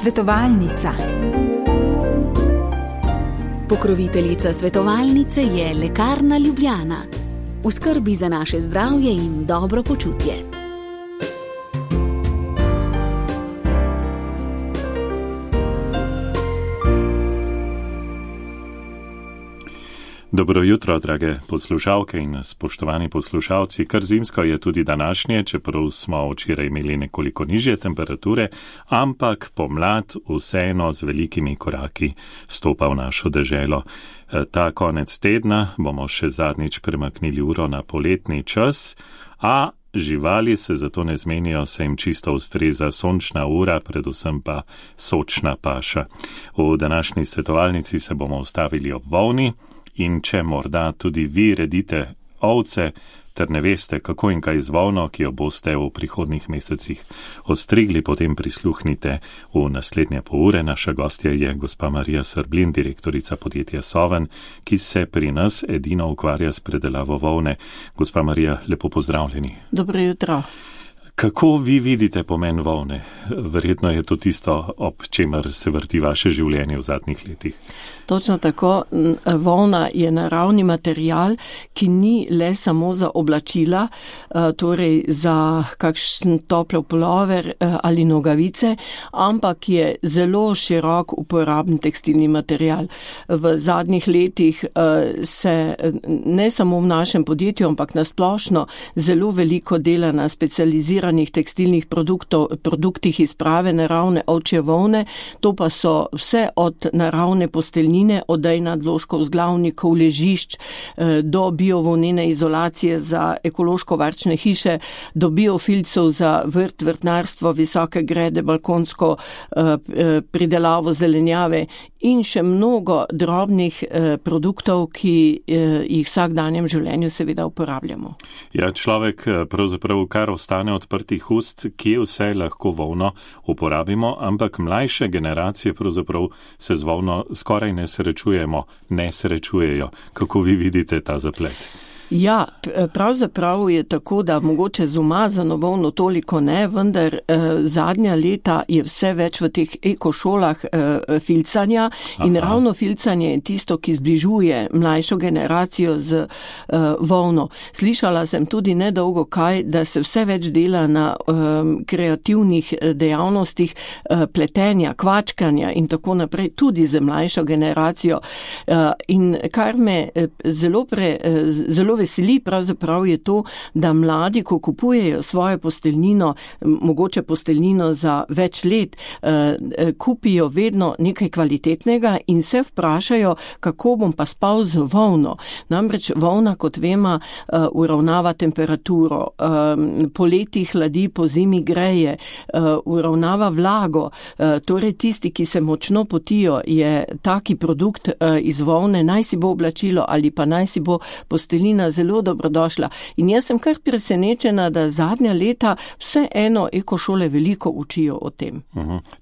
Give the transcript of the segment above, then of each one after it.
Svetovalnica. Pokroviteljica svetovalnice je Lekarna Ljubljana. V skrbi za naše zdravje in dobro počutje. Dobro jutro, drage poslušalke in spoštovani poslušalci. Kar zimsko je tudi današnje, čeprav smo včeraj imeli nekoliko nižje temperature, ampak pomlad vseeno z velikimi koraki stopa v našo deželo. Ta konec tedna bomo še zadnjič premaknili uro na poletni čas, a živali se zato ne zmenijo, se jim čisto ustreza sončna ura, predvsem pa sočna paša. V današnji svetovalnici se bomo ustavili ob volni. In če morda tudi vi redite ovce, ter ne veste, kako in kaj z volno, ki jo boste v prihodnjih mesecih ostrigli, potem prisluhnite v naslednje pol ure. Naša gostja je gospa Marija Srblin, direktorica podjetja Soven, ki se pri nas edino ukvarja s predelavo volne. Gospa Marija, lepo pozdravljeni. Dobro jutro. Kako vi vidite pomen volne? Verjetno je to tisto, ob čemer se vrti vaše življenje v zadnjih letih. Točno tako. Volna je naravni material, ki ni le samo za oblačila, torej za kakšen topel pulover ali nogavice, ampak je zelo širok uporaben tekstilni material. V zadnjih letih se ne samo v našem podjetju, ampak nasplošno zelo veliko dela na specializiranih tekstilnih produktih iz prave naravne ovčje volne. To pa so vse od naravne posteljnine, odej nadložkov, vzglavnikov, ležišč, do biovolnene izolacije za ekološko varčne hiše, do biofilcev za vrt, vrtnarstvo, visoke grede, balkonsko pridelavo zelenjave in še mnogo drobnih produktov, ki jih v vsakdanjem življenju seveda uporabljamo. Ja, človek pravzaprav kar ostane odprtih ust, kje vse lahko volno uporabimo, ampak mlajše generacije pravzaprav se z volno skoraj ne srečujejo. Kako vi vidite ta zaplet? Ja, pravzaprav je tako, da mogoče z umazano volno toliko ne, vendar zadnja leta je vse več v teh ekošolah filcanja. In ravno filcanje je tisto, ki zbližuje mlajšo generacijo z volno. Slišala sem tudi nedolgo kaj, da se vse več dela na kreativnih dejavnostih pletenja, kvačkanja in tako naprej, tudi z mlajšo generacijo. In kar me zelo veseli pravzaprav je to, da mladi, ko kupujejo svojo posteljnino, mogoče posteljnino za več let, kupijo vedno nekaj kvalitetnega in se vprašajo, kako bom pa spal z volno. Namreč volna, kot vemo, uravnava temperaturo, poleti hladi, po zimi greje, uravnava vlago. Torej tisti, ki se močno potijo, je taki produkt iz volne, naj si bo oblačilo ali pa naj si bo posteljnina, zelo dobrodošla. In jaz sem kar presenečena, da zadnja leta vseeno ekošole veliko učijo o tem.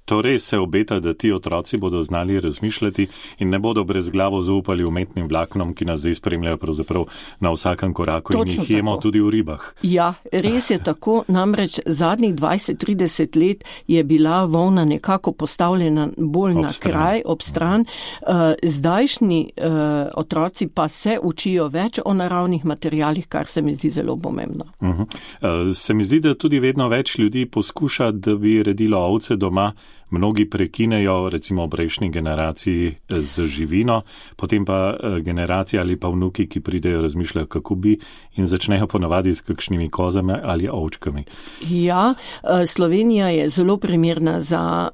Torej se obeta, da ti otroci bodo znali razmišljati in ne bodo brezglavo zaupali umetnim vlaknom, ki nas zdaj spremljajo pravzaprav na vsakem koraku. Točno in jih jemo tudi v ribah. Ja, res je tako. Namreč zadnjih 20-30 let je bila volna nekako postavljena bolj na kraj, ob stran. Zdajšnji otroci pa se učijo več o naravnih materialih, kar se mi zdi zelo pomembno. Se mi zdi, da tudi vedno več ljudi poskuša, da bi redilo ovce doma. Mnogi prekinejo, recimo v prejšnji generaciji, z živino, potem pa generacija ali pa vnuki, ki pridejo, razmišljajo, kako bi, in začnejo ponavadi s kakšnimi kozami ali ovčkami. Ja, Slovenija je zelo primerna za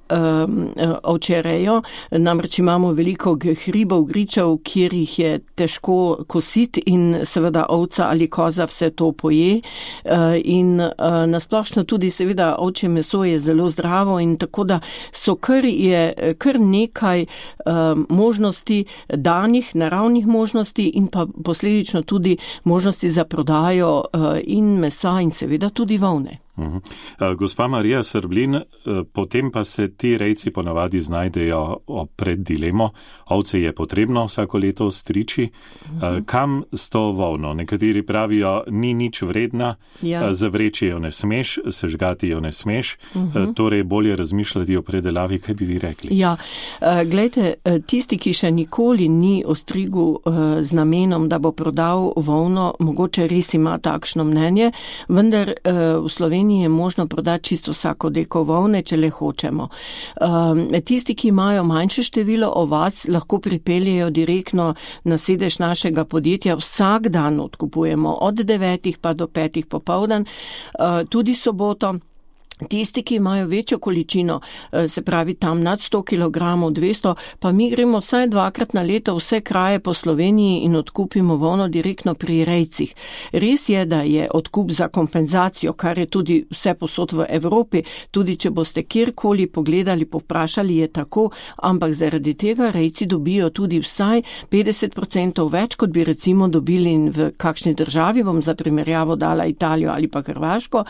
ovčerejo, namreč imamo veliko hribov, gričev, kjer jih je težko kositi in seveda ovca ali koza vse to poje. In nasplošno tudi seveda ovčje meso je zelo zdravo in tako da so kar nekaj možnosti danih, naravnih možnosti in pa posledično tudi možnosti za prodajo in mesa in seveda tudi volne. Gospa Marija Srblin, potem pa se ti rejci ponavadi znajdejo pred dilemo. Ovce je potrebno vsako leto striči. Kam s to volno? Nekateri pravijo, ni nič vredna, zavreči jo ne smeš, sežgati jo ne smeš, torej bolje razmišljati o predelavi. Kaj bi vi rekli? Ja, glejte, tisti, ki še nikoli ni ostrigel z namenom, da bo prodal volno, mogoče res ima takšno mnenje, vendar v Sloveniji je možno prodati čisto vsako deko volne, če le hočemo. Tisti, ki imajo manjše število ovac, lahko pripeljejo direktno na sedež našega podjetja. Vsak dan odkupujemo od 9 pa do 5 popoldan, tudi soboto. Tisti, ki imajo večjo količino, se pravi tam nad 100 kg, 200, pa mi gremo vsaj 2-krat na leto vse kraje po Sloveniji in odkupimo volno direktno pri rejcih. Res je, da je odkup za kompenzacijo, kar je tudi vse posod v Evropi, tudi če boste kjerkoli pogledali, povprašali, je tako, ampak zaradi tega rejci dobijo tudi vsaj 50% več, kot bi recimo dobili v kakšni državi, bom za primerjavo dala Italijo ali pa Hrvaško,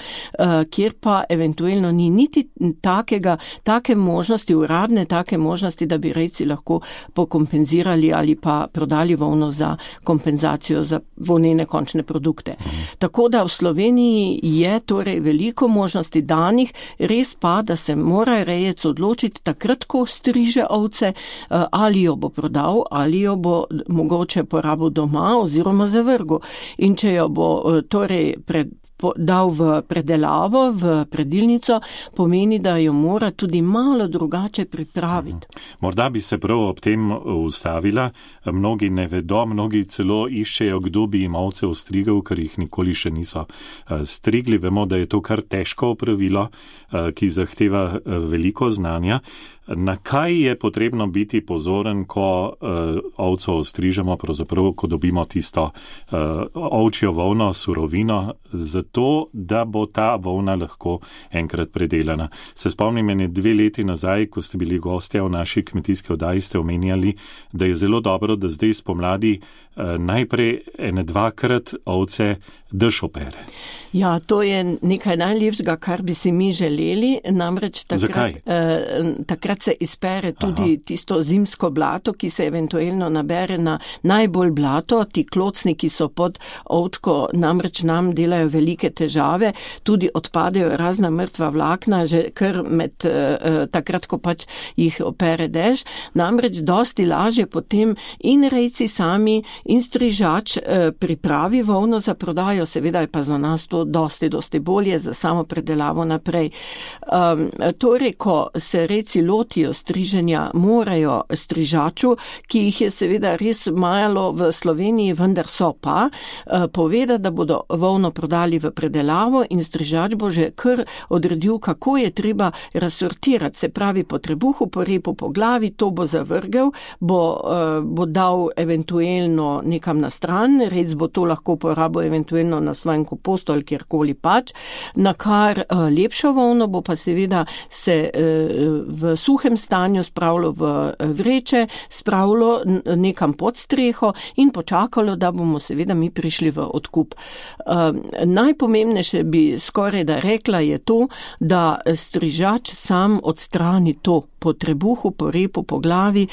kjer pa eventualno ni niti take možnosti, uradne take možnosti, da bi rejci lahko pokompenzirali ali pa prodali volno za kompenzacijo za volnene končne produkte. Tako da v Sloveniji je torej veliko možnosti danih, res pa, da se mora rejec odločiti takrat, ko striže ovce, ali jo bo prodal, ali jo bo mogoče porabil doma oziroma zavrgel. In če jo bo torej dal v predelavo, v predilnico, pomeni, da jo mora tudi malo drugače pripraviti. Morda bi se prav ob tem ustavila. Mnogi ne vedo, mnogi celo iščejo, kdo bi jim ovce ostrigel, ker jih nikoli še niso strigli. Vemo, da je to kar težko opravilo, ki zahteva veliko znanja. Na kaj je potrebno biti pozoren, ko ovco ostrižemo, pravzaprav, ko dobimo tisto ovčjo volno, surovino, zato, da bo ta volna lahko enkrat predelana. Se spomnim, 2 leti nazaj, ko ste bili gostja v naši kmetijski oddaji, ste omenjali, da je zelo dobro, da zdaj spomladi najprej 1-2-krat ovce dež opere. Ja, to je nekaj najlepšega, kar bi si mi želeli, namreč takrat se izpere tudi tisto zimsko blato, ki se eventualno nabere na najbolj blato. Ti klocni, ki so pod ovčko, namreč nam delajo velike težave, tudi odpadejo razna mrtva vlakna, že kar med takrat, ko pač jih opere dež. Namreč dosti lažje potem in rejci sami in strižač pripravi volno za prodajo, seveda je pa za nas to dosti bolje za samo predelavo naprej. Torej, ko se rejci lotijo striženja, morajo strižaču, ki jih je seveda res malo v Sloveniji, vendar so pa, povedati, da bodo volno prodali v predelavo in strižač bo že kar odredil, kako je treba razsortirati, se pravi po trebuhu, po repu, po glavi, to bo zavrgel, bo dal eventualno nekam na stran, rec bo to lahko uporabil eventualno na svojem kompostu ali kjerkoli pač, na kar lepšo volno bo pa seveda se v suhem stanju spravilo v vreče, spravilo nekam pod streho in počakalo, da bomo seveda mi prišli v odkup. Najpomembnejše bi skoraj da rekla je to, da strižač sam odstrani to po trebuhu, po repu, po glavi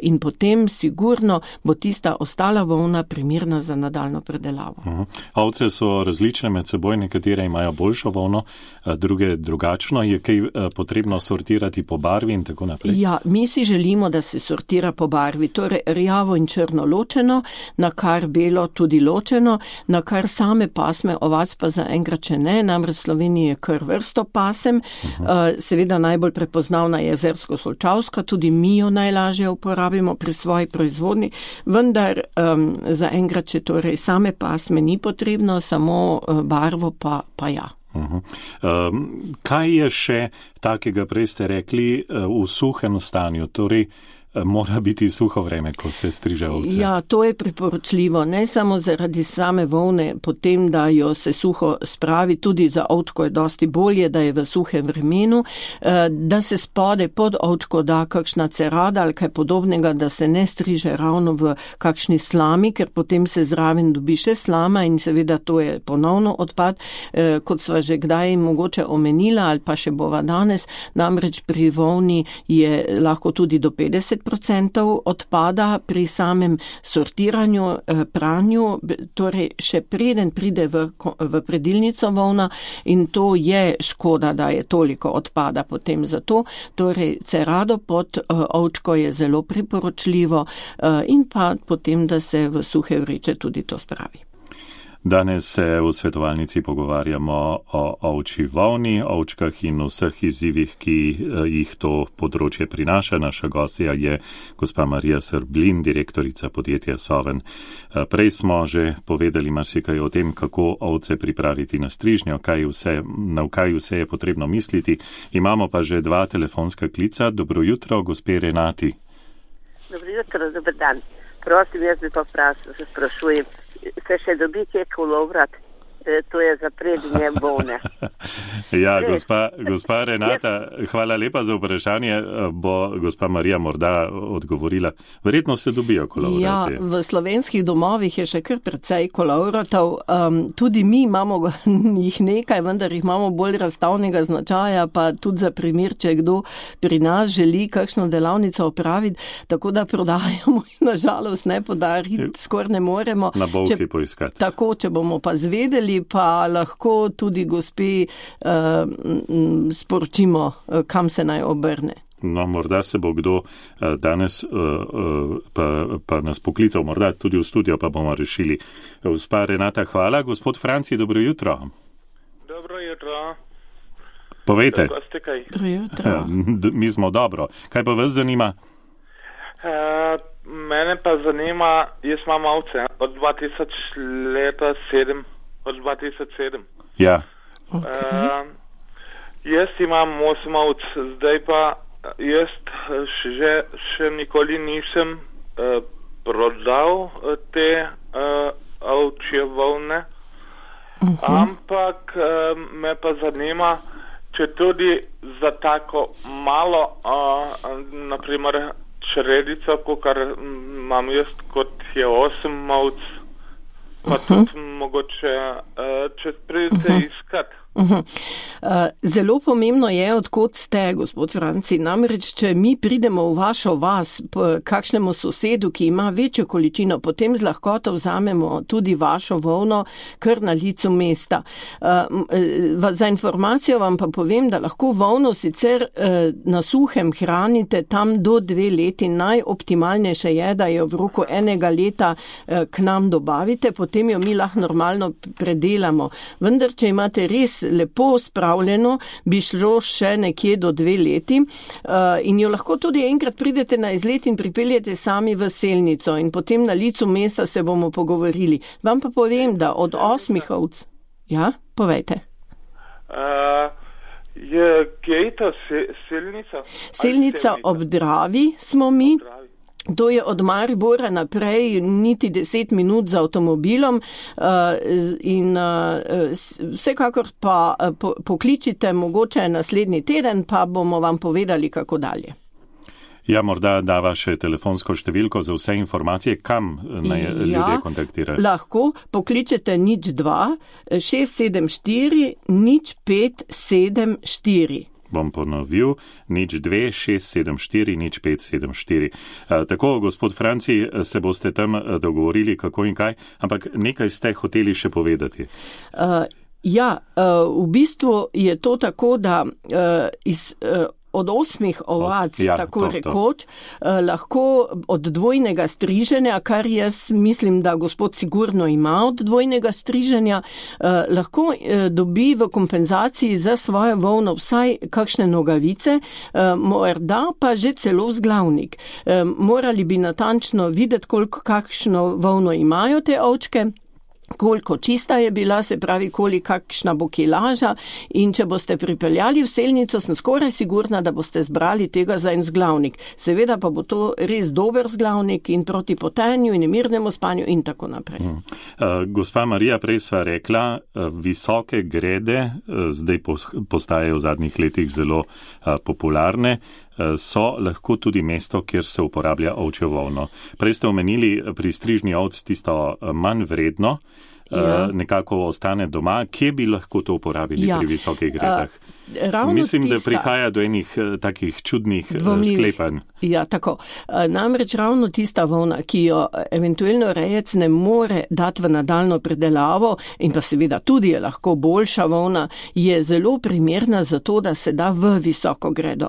in potem sigurno bo tista ostala volna primerna za nadaljno predelavo. Ovce so različne med seboj, nekatere imajo boljšo volno, druge drugačno. Je kaj potrebno sortirati po barvi in tako naprej? Ja, mi si želimo, da se sortira po barvi, torej rjavo in črno ločeno, na kar belo tudi ločeno, na kar same pasme ovac pa zaenkrat še ne, namreč v Sloveniji je kar vrsto pasem, seveda najbolj prepoznavna je jezersko-solčavska, tudi mi jo najlažje uporabimo pri svoji proizvodnji, vendar zaenkrat, če torej same pasme ni potrebno, samo barvo pa ja. Kaj je še takega, prej ste rekli, v suhem stanju? Torej, mora biti suho vreme, ko se striže ovce? Ja, to je priporočljivo, ne samo zaradi same volne, potem, da jo se suho spravi, tudi za ovčko je dosti bolje, da je v suhem vremenu, da se spode pod ovčko da kakšna cerada ali kaj podobnega, da se ne striže ravno v kakšni slami, ker potem se zraven dobi še slama in seveda to je ponovno odpad, kot sva že kdaj mogoče omenila ali pa še bova danes, namreč pri volni je lahko tudi do 50% odpada pri samem sortiranju, pranju, torej še preden pride v predilnico volna in to je škoda, da je toliko odpada potem za to. Torej cerado pod ovčko je zelo priporočljivo in pa potem, da se v suhe vreče tudi to spravi. Danes se v svetovalnici pogovarjamo o ovčji volni, ovčkah in vseh izzivih, ki jih to področje prinaša. Naša gostja je gospa Marija Srblin, direktorica podjetja Soven. Prej smo že povedali marsikaj o tem, kako ovce pripraviti na strižnjo, na kaj vse je potrebno misliti. Imamo pa že 2 telefonska klica. Dobro jutro, gospe Renati. Dobro jutro, dober dan. Prosim, jaz bi pa sprašujem. Se še dobi kje kolovrat, to je za prednje volne. Ja, gospa Renata, hvala lepa za vprašanje. Bo gospa Marija morda odgovorila. Verjetno se dobijo kolovrati. Ja, v slovenskih domovih je še kar precej kolovratov. Tudi mi imamo jih nekaj, vendar jih imamo bolj razstavnega značaja, pa tudi za primer, če kdo pri nas želi kakšno delavnico opraviti, tako da prodajamo in nažalost ne podariti, skoraj ne moremo. Na bolhi poiskati. Tako, če bomo pa zvedeli, pa lahko tudi gospe sporočimo, kam se naj obrne. No, morda se bo kdo danes pa nas poklical, morda tudi v studio, pa bomo rešili. Gospa Renata, hvala. Gospod Franci, dobro jutro. Dobro jutro. Povejte. Dobro jutro. Mi smo dobro. Kaj pa vas zanima? Mene pa zanima, jaz imam ovce od 2007. Ja. Okay. Jaz imam 8 ovc, zdaj pa jaz še nikoli nisem prodal te ovčje volne, ampak me pa zanima, če tudi za tako malo, naprimer čredico, kakor imam jaz, kot je 8 ovc, pa tudi mogoče, če pridete iskat. Zelo pomembno je, odkot ste, gospod Franci. Namreč, če mi pridemo v vašo vas, kakšnemu sosedu, ki ima večjo količino, potem z lahkoto vzamemo tudi vašo volno kar na licu mesta. Za informacijo vam pa povem, da lahko volno sicer na suhem hranite tam do 2 leti. Najoptimalnejše je, da jo v roku 1 leta k nam dobavite, potem jo mi lahko normalno predelamo. Vendar, če imate res lepo spravljeno, bi šlo še nekje do 2 leti in jo lahko tudi enkrat pridete na izlet in pripeljete sami v selnico in potem na licu mesta se bomo pogovorili. Vam pa povem, da od 8 ovc... Ja, povejte. Kje je to selnica? Selnica ob Dravi smo mi. To je od Maribora naprej niti 10 minut z avtomobilom in vsekakor pa pokličite mogoče naslednji teden, pa bomo vam povedali, kako dalje. Ja, morda dava še telefonsko številko za vse informacije, kam naj ljudje kontaktirajo. Lahko pokličete 02 674 0574. Bom ponovil, 02 674 0574. Tako, gospod Franci, se boste tam dogovorili, kako in kaj, ampak nekaj ste hoteli še povedati. V bistvu je to tako, da od 8 ovac, rekoč, lahko od dvojnega striženja, kar jaz mislim, da gospod sigurno ima od dvojnega striženja, lahko dobi v kompenzaciji za svojo volno vsaj kakšne nogavice, morda pa že celo vzglavnik. Morali bi natančno videti, kakšno volno imajo te ovčke. koliko čista je bila, se pravi, kakšna bo kilaža, in če boste pripeljali v selnico, sem skoraj sigurna, da boste zbrali tega za en vzglavnik. Seveda pa bo to res dober vzglavnik in proti potenju in nemirnemu spanju in tako naprej. Gospa Marija, prej sva rekla, visoke grede, zdaj postajajo v zadnjih letih zelo popularne, so lahko tudi mesto, kjer se uporablja ovčjo volno. Prej ste omenili pri strižni ovc tisto manj vredno, nekako ostane doma. Kje bi lahko to uporabili pri visokih gredah? Mislim, da prihaja do enih takih čudnih sklepanj. Ja, tako. Namreč ravno tista volna, ki jo eventualno rejec ne more dati v nadaljno predelavo in pa seveda tudi je lahko boljša volna, je zelo primerna za to, da se da v visoko gredo.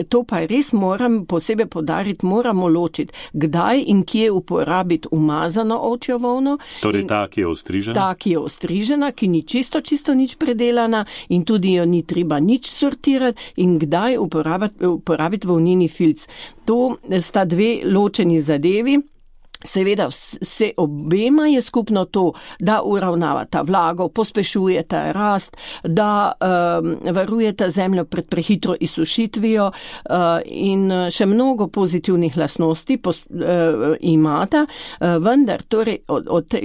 To pa res moram posebej poudariti, moramo ločiti, kdaj in kje uporabiti umazano ovčjo volno. Torej ta, ki je ostrižena? Ta, ki je ostrižena, ki ni čisto nič predelana in tudi jo ni treba nič sortirati in kdaj uporabiti volnini filc. To sta dve ločeni zadevi. Seveda vse obema je skupno to, da uravnavata vlago, pospešujeta rast, da varujeta zemljo pred prehitro izsušitvijo in še mnogo pozitivnih lastnosti imata, vendar, torej,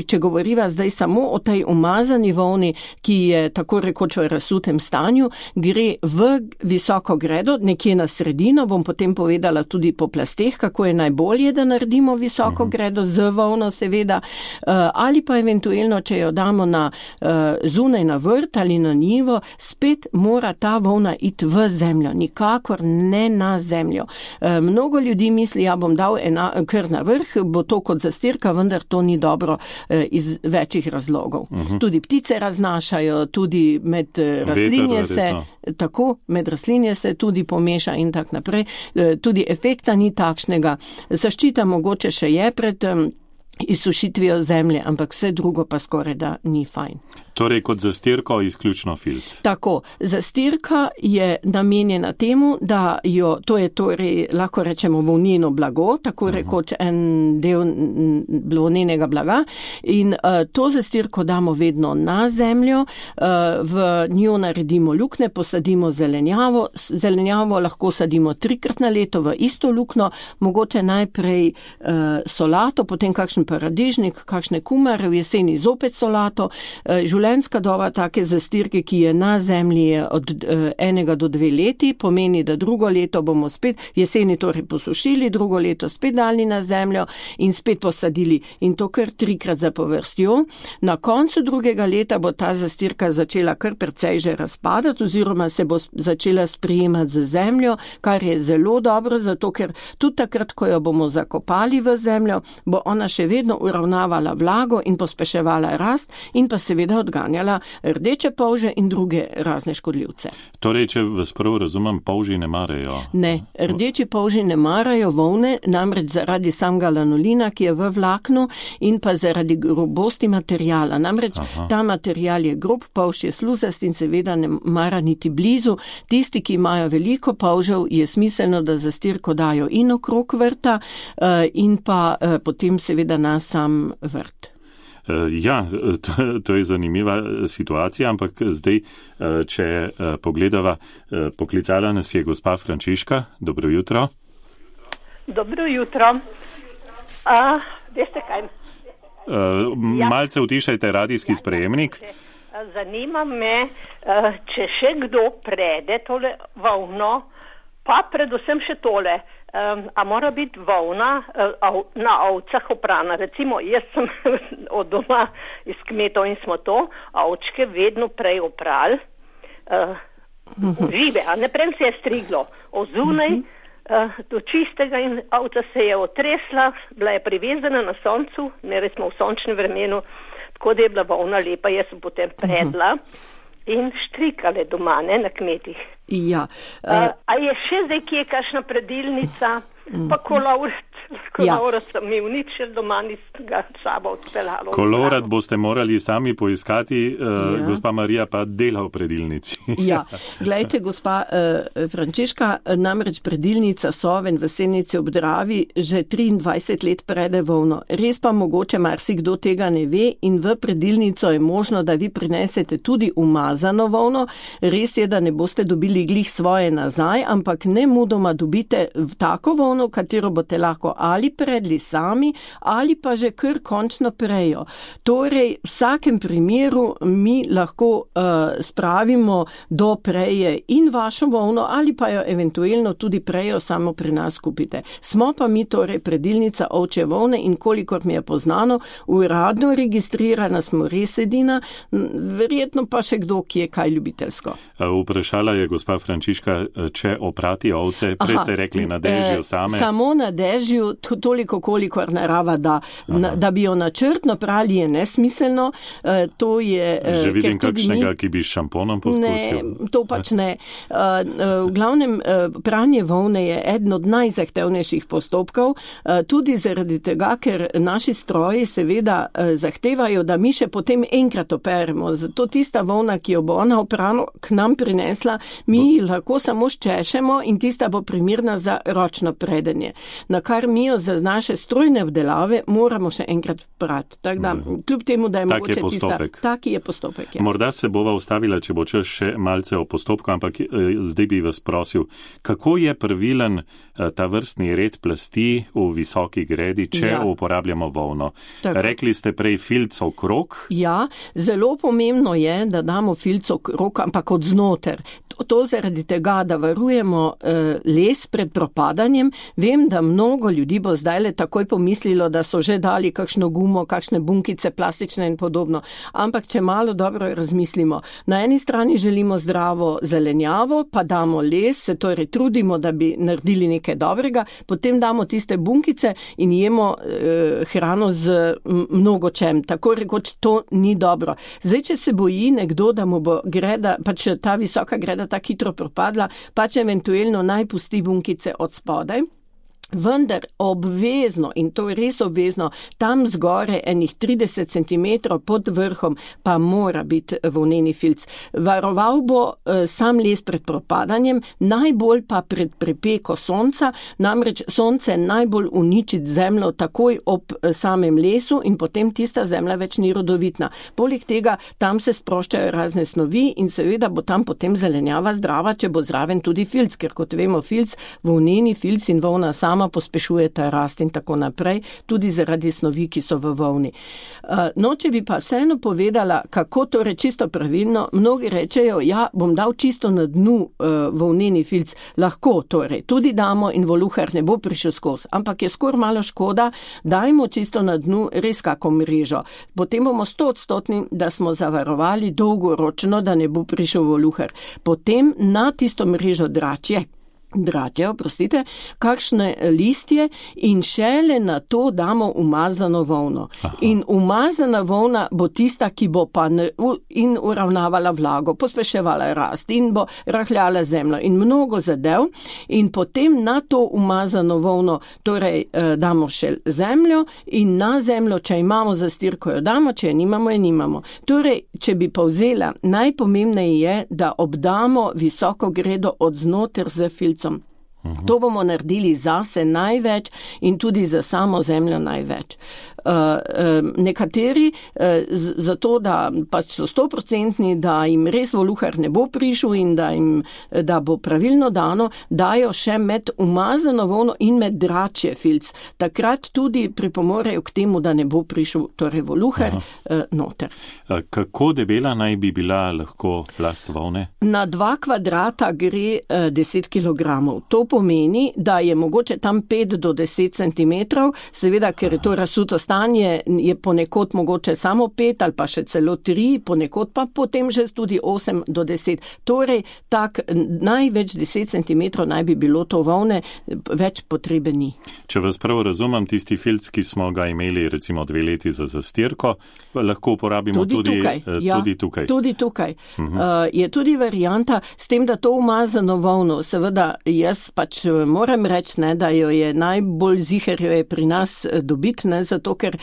če govoriva zdaj samo o tej umazani volni, ki je tako rekoč v razsutem stanju, gre v visoko gredo, nekje na sredino, bom potem povedala tudi po plasteh, kako je najbolje, da naredimo visoko gredo, z volno seveda, ali pa eventualno, če jo damo zunaj na vrt ali na njivo, spet mora ta volna iti v zemljo, nikakor ne na zemljo. Mnogo ljudi misli, bom dal kar na vrh, bo to kot zastirka, vendar to ni dobro iz večjih razlogov. Tudi ptice raznašajo, tudi med rastlinje med rastlinje se tudi pomeša in tak naprej. Tudi efekta ni takšnega. Zaščita mogoče še je pred izsušitvijo zemlje, ampak vse drugo pa skoraj da ni fajn. Torej kot zastirko izključno filc. Tako, zastirka je namenjena temu, da to je torej, lahko rečemo, volneno blago, tako rekoč en del volnenega blaga in to zastirko damo vedno na zemljo, v njo naredimo lukne, posadimo zelenjavo. Zelenjavo lahko sadimo 3-krat na leto v isto lukno, mogoče najprej solato, potem kakšen paradižnik, kakšne kumare, v jeseni zopet solato. Življenjska doba take zastirke, ki je na zemlji, je od 1 do 2 leti, pomeni, da drugo leto bomo spet jeseni torej posušili, drugo leto spet dali na zemljo in spet posadili. In to kar 3-krat zapovrstjo. Na koncu drugega leta bo ta zastirka začela kar precej že razpadati oziroma se bo začela sprijemati z zemljo, kar je zelo dobro, zato ker tudi takrat, ko jo bomo zakopali v zemljo, bo ona še vedno uravnavala vlago in pospeševala rast in pa seveda odganjala rdeče polže in druge razne škodljivce. Torej, če vas prav razumem, polži ne marajo? Ne, rdeči polži ne marajo volne, namreč zaradi samega lanolina, ki je v vlaknu in pa zaradi grobosti materijala. Namreč ta material je grob, polž je sluzast in seveda ne mara niti blizu. Tisti, ki imajo veliko polžev, je smiselno, da zastirko dajo in okrog vrta in pa potem seveda na sam vrt. Ja, to je zanimiva situacija, ampak zdaj, če pogledava, poklicala nas je gospa Frančiška. Dobro jutro. Dobro jutro. Veste kaj? Malce utišajte radijski sprejemnik. Zanima me, če še kdo prede tole volno, pa predvsem še tole. A mora biti volna na ovcah oprana. Recimo, jaz sem od doma iz kmetov in smo to ovčke vedno prej oprali, žive, a ne prej se je striglo, ozunaj do čistega in ovca se je otresla, bila je privezana na soncu, ne smo v sončnem vremenu, tako da je bila volna lepa, jaz sem potem predla in štrikale doma, ne, na kmetih. Ja. A je še zdaj kje kakšna predilnica, pa kolovrt, Kolorat mi uničil doma, nisem ga sabo odpeljalo. Kolorat boste morali sami poiskati, gospa Marija pa dela v predilnici. Ja, glejte, gospa Frančiška, namreč predilnica Soven v Senici ob Dravi že 23 let prede volno. Res pa mogoče marsikdo tega ne ve in v predilnico je možno, da vi prinesete tudi umazano volno. Res je, da ne boste dobili glih svoje nazaj, ampak nemudoma dobite tako volno, katero boste lahko ali predli sami, ali pa že kar končno prejo. Torej, v vsakem primeru mi lahko spravimo do preje in vašo volno, ali pa jo eventualno tudi prejo samo pri nas kupite. Smo pa mi torej predilnica ovčje volne in kolikor mi je poznano, uradno registrirana smo res edina, verjetno pa še kdo, ki je kaj ljubiteljsko. Vprašala je gospa Frančiška, če oprati ovce, prej ste rekli na dežju same. Samo na dežju, toliko kolikor narava da. Da bi jo načrtno prali je nesmiselno. To je, že vidim kakšnega, ki bi s šamponom poskusil. Ne, to pač ne. V glavnem, pranje volne je eden od najzahtevnejših postopkov, tudi zaradi tega, ker naši stroji seveda zahtevajo, da mi še potem enkrat operemo. Zato tista volna, ki jo bo ona oprano k nam prinesla, mi lahko samo ščešemo in tista bo primirna za ročno predenje. Na kar mi jo za naše strojne vdelave moramo še enkrat prati. Tako da, kljub temu, da je mogoče tista... Taki je postopek. Ja. Morda se bova ustavila, če bo čas še malce o postopku, ampak zdaj bi vas prosil, kako je pravilen ta vrstni red plasti v visoki gredi, če uporabljamo volno? Tako. Rekli ste prej filc okrog? Ja, zelo pomembno je, da damo filc okrog, ampak od znoter. To zaradi tega, da varujemo les pred propadanjem. Vem, da mnogo ljudi bo zdajle takoj pomislilo, da so že dali kakšno gumo, kakšne bunkice plastične in podobno. Ampak če malo dobro razmislimo, na eni strani želimo zdravo zelenjavo, pa damo les, se torej trudimo, da bi naredili nekaj dobrega, potem damo tiste bunkice in jemo hrano z mnogo čem. Tako rekoč to ni dobro. Zdaj, če se boji nekdo, da mu bo greda, pač ta visoka greda tako hitro propadla, pač eventualno naj pusti bunkice od spodaj. Vendar obvezno, in to je res obvezno, tam zgore enih 30 cm pod vrhom pa mora biti volneni filc. Varoval bo sam les pred propadanjem, najbolj pa pred prepeko sonca, namreč sonce najbolj uniči zemljo takoj ob samem lesu in potem tista zemlja več ni rodovitna. Poleg tega tam se sproščajo razne snovi in seveda bo tam potem zelenjava zdrava, če bo zraven tudi filc, ker kot vemo filc, volneni filc in volna sama pospešujeta rast in tako naprej, tudi zaradi snovi, ki so v volni. No, če bi pa vseeno povedala, kako torej čisto pravilno, mnogi rečejo, ja, bom dal čisto na dnu volneni filc, lahko torej, tudi damo in voluhar ne bo prišel skozi, ampak je skoraj malo škoda, dajmo čisto na dnu res kako mrežo. Potem bomo 100%, da smo zavarovali dolgoročno, da ne bo prišel voluhar. Potem na tisto mrežo dračje, kakšne listje in šele na to damo umazano volno. Aha. In umazana volna bo tista, ki bo pa in uravnavala vlago, pospeševala rast in bo rahljala zemljo in mnogo zadev in potem na to umazano volno torej damo še zemljo in na zemljo, če imamo zastirko, jo damo, če je nimamo. Torej, če bi povzela, najpomembneje je, da obdamo visoko gredo od znoter z filcom. To bomo naredili zase največ in tudi za samo zemljo največ. Nekateri zato, da pač so 100%, da jim res voluhar ne bo prišel in da bo pravilno dano, dajo še med umazano volno in med dračje filc. Takrat tudi pripomorejo k temu, da ne bo prišel torej voluhar noter. Kako debela naj bi bila lahko plast volne? Na 2 kvadrata gre 10 kg. To pomeni, da je mogoče tam 5 do 10 cm, seveda, ker je to razsuto stanje, Tkanje je ponekod mogoče samo 5 ali pa še celo 3, ponekod pa potem že tudi 8 do 10. Torej, tak največ 10 cm naj bi bilo to volne, več potrebe ni. Če vas prav razumem, tisti filc, ki smo ga imeli recimo 2 leti za zastirko, lahko uporabimo tudi tukaj. Tudi tukaj. Je tudi varianta s tem, da to umazano volno, seveda jaz pač moram reči, ne, da jo je najbolj ziher jo je pri nas dobiti, ne, zato ker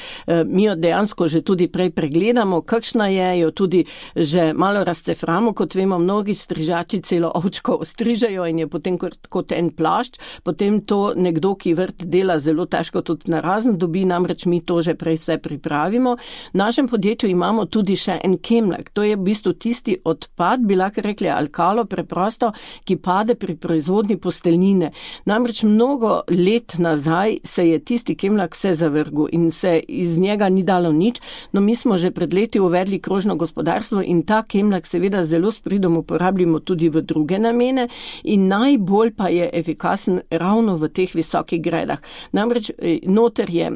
mi jo dejansko že tudi prej pregledamo, kakšna je, jo tudi že malo razceframo, kot vemo, mnogi strižači celo ovčko ostrižajo in je potem kot en plašč, potem to nekdo, ki vrt dela, zelo težko tudi narazen dobi, namreč mi to že prej vse pripravimo. V našem podjetju imamo tudi še en kemlak, to je v bistvu tisti odpad, bi lahko rekli alkalo preprosto, ki pade pri proizvodnji posteljnine. Namreč mnogo let nazaj se je tisti kemlak vse zavrgel in se iz njega ni dalo nič, no mi smo že pred leti uvedli krožno gospodarstvo in ta kemlak seveda zelo s pridom uporabljamo tudi v druge namene in najbolj pa je efikasen ravno v teh visokih gredah. Namreč noter je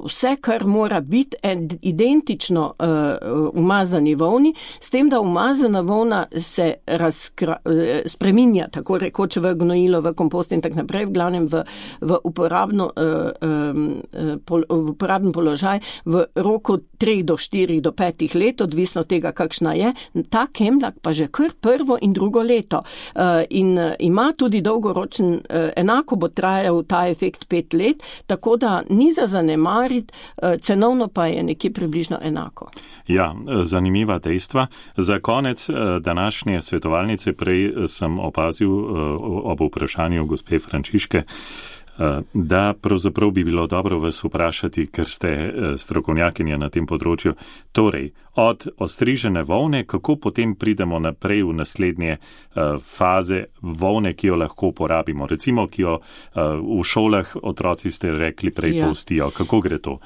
vse, kar mora biti identično umazani volni, s tem, da umazana volna se spreminja, tako rekoč v gnojilo, v kompost in tak naprej, v glavnem v uporaben položaj v roku 3 do 4 do 5 let, odvisno tega, kakšna je. Ta kemlak pa že kar prvo in drugo leto in ima tudi dolgoročen, enako bo trajal ta efekt 5 let, tako da ni za zanemariti, cenovno pa je nekje približno enako. Ja, zanimiva dejstva. Za konec današnje svetovalnice prej sem opazil ob vprašanju gospe Frančiške, da pravzaprav bi bilo dobro vas vprašati, ker ste strokovnjakinja na tem področju. Torej, od ostrižene volne, kako potem pridemo naprej v naslednje faze volne, ki jo lahko uporabimo? Recimo, ki jo v šolah otroci ste rekli prej postijo. Kako gre to?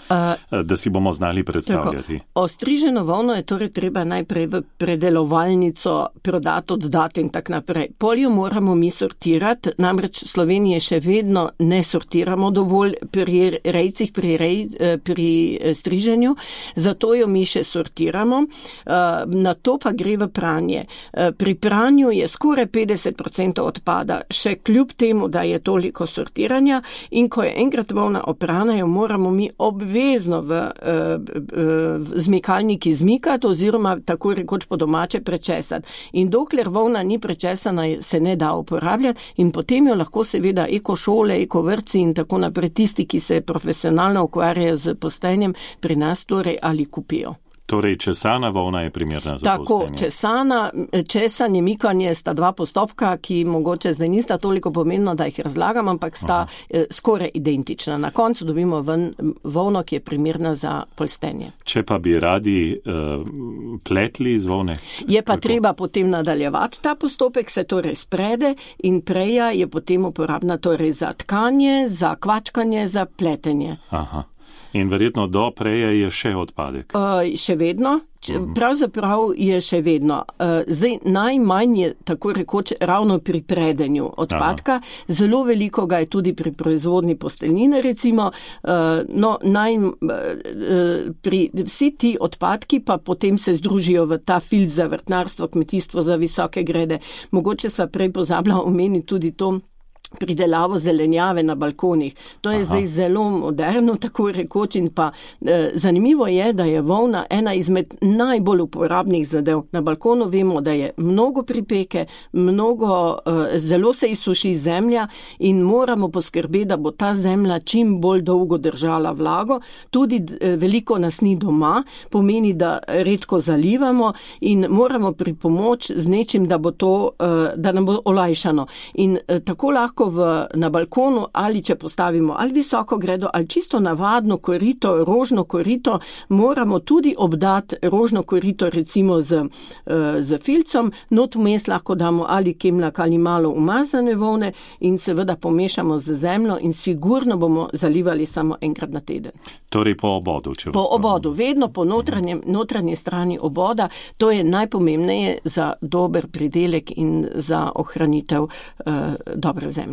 Da si bomo znali predstavljati. Tako, ostriženo volno je torej treba najprej v predelovalnico prodati, oddati in tak naprej. Poljo moramo mi sortirati, namreč v Sloveniji še vedno ne sortiramo dovolj pri rejcih, pri striženju, zato jo mi še sortiramo. Na to pa gre v pranje. Pri pranju je skoraj 50% odpada, še kljub temu, da je toliko sortiranja in ko je enkrat volna oprana, jo moramo mi obvezno v zmikalniki zmikati oziroma tako rekoč po domače prečesati. In dokler volna ni prečesana, se ne da uporabljati in potem jo lahko seveda ekošole, vrtci in tako naprej, tisti, ki se profesionalno ukvarjajo z postenjem, pri nas torej ali kupijo. Torej, česana volna je primerna za postenje. Tako, česanje, mikanje sta 2 postopka, ki mogoče zdaj nista toliko pomembno, da jih razlagam, ampak sta skoraj identična. Na koncu dobimo ven volno, ki je primerna za postenje. Če pa bi radi pletli iz volne? Je pa treba potem nadaljevati ta postopek, se torej sprede in preja je potem uporabna torej za tkanje, za kvačkanje, za pletenje. Aha. In verjetno do preje je še odpadek. Še vedno, pravzaprav je še vedno. Zdaj najmanj je tako rekoč ravno pri predenju odpadka. Aha. Zelo veliko ga je tudi pri proizvodni posteljnine recimo. Vsi ti odpadki pa potem se združijo v ta filc za vrtnarstvo, kmetijstvo, za visoke grede. Mogoče sva prej pozabila omeniti tudi to pridelavo zelenjave na balkonih. To je zdaj zelo moderno, tako rekoč, in pa zanimivo je, da je volna ena izmed najbolj uporabnih zadev. Na balkonu vemo, da je mnogo pripeke, zelo se izsuši zemlja in moramo poskrbeti, da bo ta zemlja čim bolj dolgo držala vlago. Tudi veliko nas ni doma, pomeni, da redko zalivamo in moramo pripomoč z nečim, da bo to, da nam bo olajšano. In tako lahko na balkonu ali če postavimo ali visoko gredo ali čisto navadno korito, rožno korito, moramo tudi obdati rožno korito recimo z filcom, not vmes lahko damo ali kemlak ali malo umazane volne in seveda pomešamo z zemljo in sigurno bomo zalivali samo enkrat na teden. Torej po obodu, Po obodu, vedno po notranji strani oboda, to je najpomembneje za dober pridelek in za ohranitev dobre zemlje.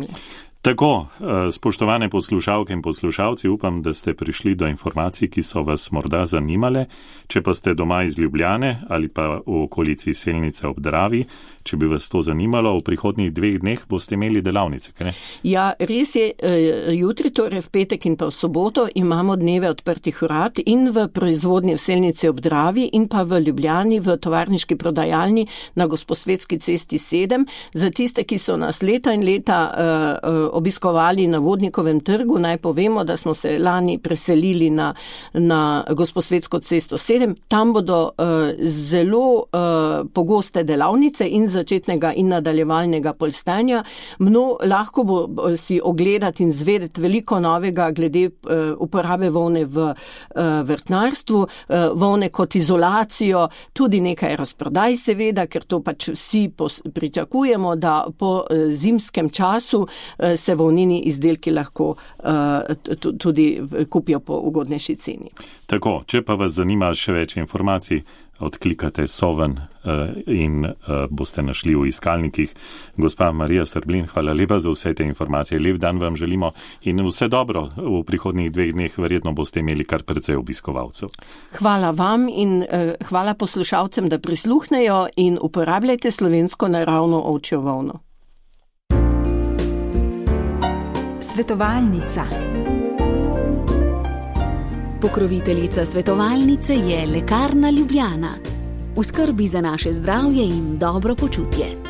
Tako, spoštovane poslušalke in poslušalci, upam, da ste prišli do informacij, ki so vas morda zanimale. Če pa ste doma iz Ljubljane ali pa v okolici Selnice ob Dravi, če bi vas to zanimalo, v prihodnjih 2 dneh boste imeli delavnice, kaj ne? Ja, res je, jutri, torej v petek in pa v soboto, imamo dneve odprtih vrat in v proizvodnji v Selnici ob Dravi in pa v Ljubljani v tovarniški prodajalni na Gosposvetski cesti 7. Za tiste, ki so nas leta in leta obiskovali na Vodnikovem trgu, naj povemo, da smo se lani preselili na Gosposvetsko cesto 7. Tam bodo zelo pogoste delavnice in začetnega in nadaljevalnega polstenja. Lahko bo si ogledati in zvedeti veliko novega glede uporabe volne v vrtnarstvu, volne kot izolacijo, tudi nekaj razprodaj seveda, ker to pač vsi pričakujemo, da po zimskem času se volnini izdelki lahko tudi kupijo po ugodnejši ceni. Tako, če pa vas zanima še več informacij, odklikate Soven in boste našli v iskalnikih. Gospa Marija Srblin, hvala lepa za vse te informacije. Lep dan vam želimo in vse dobro. V prihodnjih 2 dneh verjetno boste imeli kar precej obiskovalcev. Hvala vam in hvala poslušalcem, da prisluhnejo in uporabljajte slovensko naravno ovčjo volno. Svetovalnica. Pokroviteljica svetovalnice je Lekarna Ljubljana. V skrbi za naše zdravje in dobro počutje.